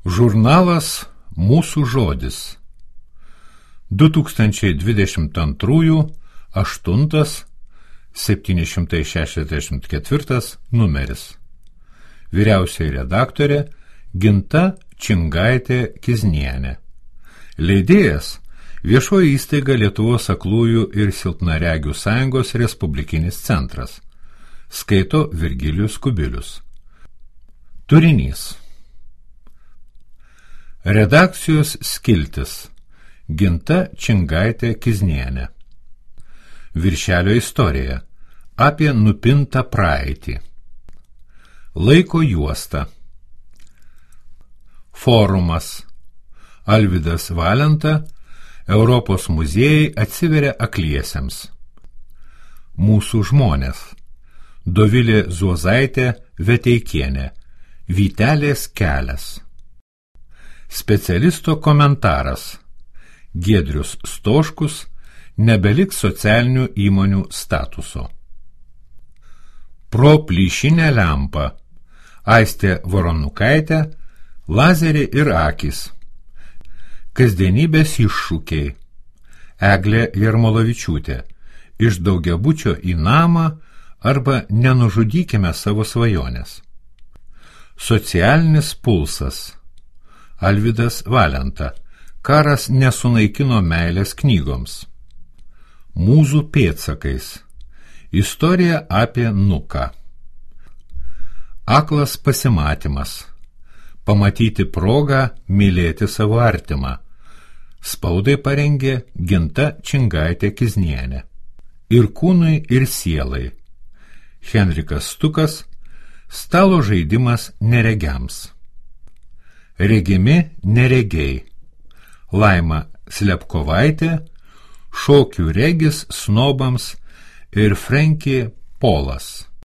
Žurnalas Mūsų žodis 2022 8 764 numeris. Vyriausioji redaktorė Ginta Čingaitė-Kiznienė. Leidėjas Viešoji įstaiga Lietuvos aklųjų ir silpnaregių sąjungos Respublikinis centras. Skaito Virgilijus Kubilius. Turinys. Redakcijos skiltis. Ginta Čingaitė-Kiznienė. Viršelio istorija. Apie nupintą praeitį. Laiko juosta. Forumas. Alvydas Valenta. Europos muziejai atsiveria akliesiems. Mūsų žmonės. Dovilė Zuozaitė Veteikienė. Vytelės kelias. Specialisto komentaras. Giedrius Stoškus. Nebeliks socialinių įmonių statuso. Pro plyšinę lempą. Aistė Voronukaitė. Lazeriai ir akys. Kasdienybės iššūkiai. Eglė Jarmolavičiūtė. Iš daugiabučio į namą arba nenužudykime savo svajonės. Socialinis pulsas. Alvydas Valenta. Karas nesunaikino meilės knygoms. Mūzų pėdsakais. Istorija apie Nuką. Aklas pasimatymas. Pamatyti progą mylėti savo artimą. Spaudai parengė Ginta Čingaitė-Kiznienė. Ir kūnui, ir sielai. Henrikas Stukas. Stalo žaidimas neregiams. Regimi neregiai. Laima Slepkovaitė. Šokių regis snobams ir Frenki Polas.